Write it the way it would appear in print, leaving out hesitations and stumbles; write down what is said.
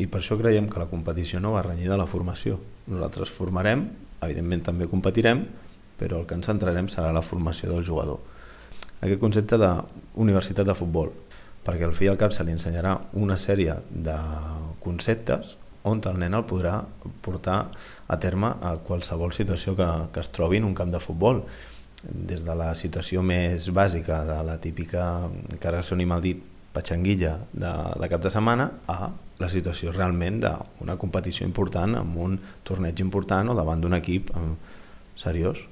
I per això creiem que la competició no va renyida a la formació. Nosaltres formarem, evidentment també competirem, però el que ens centrarem serà la formació del jugador. Aquest concepte d'universitat de futbol, perquè al fi i al cap se li ensenyarà una sèrie de conceptes on el nen el podrà portar a terme a qualsevol situació que es trobi en un camp de futbol, des de la situació més bàsica de la típica, que ara soni mal dit, patxanguilla de cap de setmana, a la situació realment d'una competició important, amb un torneig important o davant d'un equip seriós.